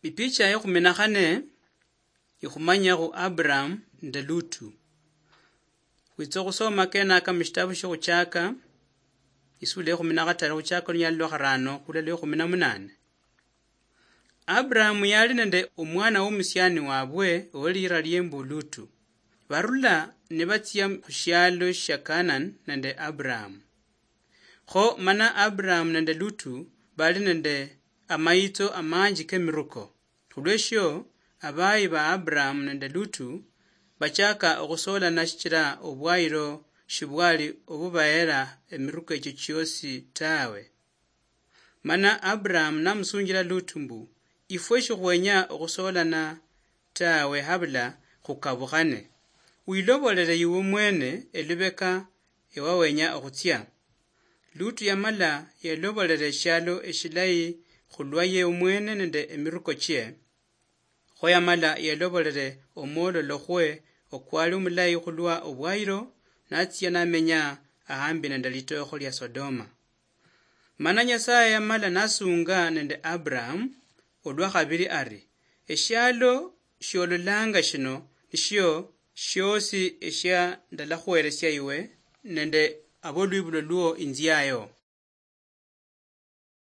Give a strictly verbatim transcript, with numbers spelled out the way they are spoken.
Ipicha ya kumi na khane ikhumanyakhu Abraham nende Lutu. Khwitsa okhusoma kenaka mushitabu shiokhuchaka, isula ya kumi na khataru, khuchaka olunyali lwa kharano khula lwa kumi na munane. Abraham yali nende omwana womusiani wabwe owelira liembu Lutu. Barula nibatsia khushialo shia Canaan nende Abraham. Kho mana Abraham nende Lutu bali nende amayitso amanji kemiruko. Khulweshio, abayi ba Abraham nende Lutu bachaka okhusolana shichira obwayiro shibwali obubahera emiruko echio chiosi tawe. Mana Abraham namusunjila Lutu mbu, "Ifwe shikhwenya okhusolana tawe habula khukabukhane. Wilobolele iwe mwene elubeka ewawenya okhutsia." Lutu yamala yelobolela eshialo eshilayi khulwa ye omwene nende emiruko chie. Kho yamala yelobolele omwololo khwe okwali omulayi khulwa obwayiro, natsia namenya ahambi nende litookho lia Sodoma. Mana Nyasaye yamala nasunga nende Abraham olwa khabili ari, "Eshialo shiololanga shino nishio shiosi eshia ndalakhuheresia iwe nende abolwibulo lwo inziayo."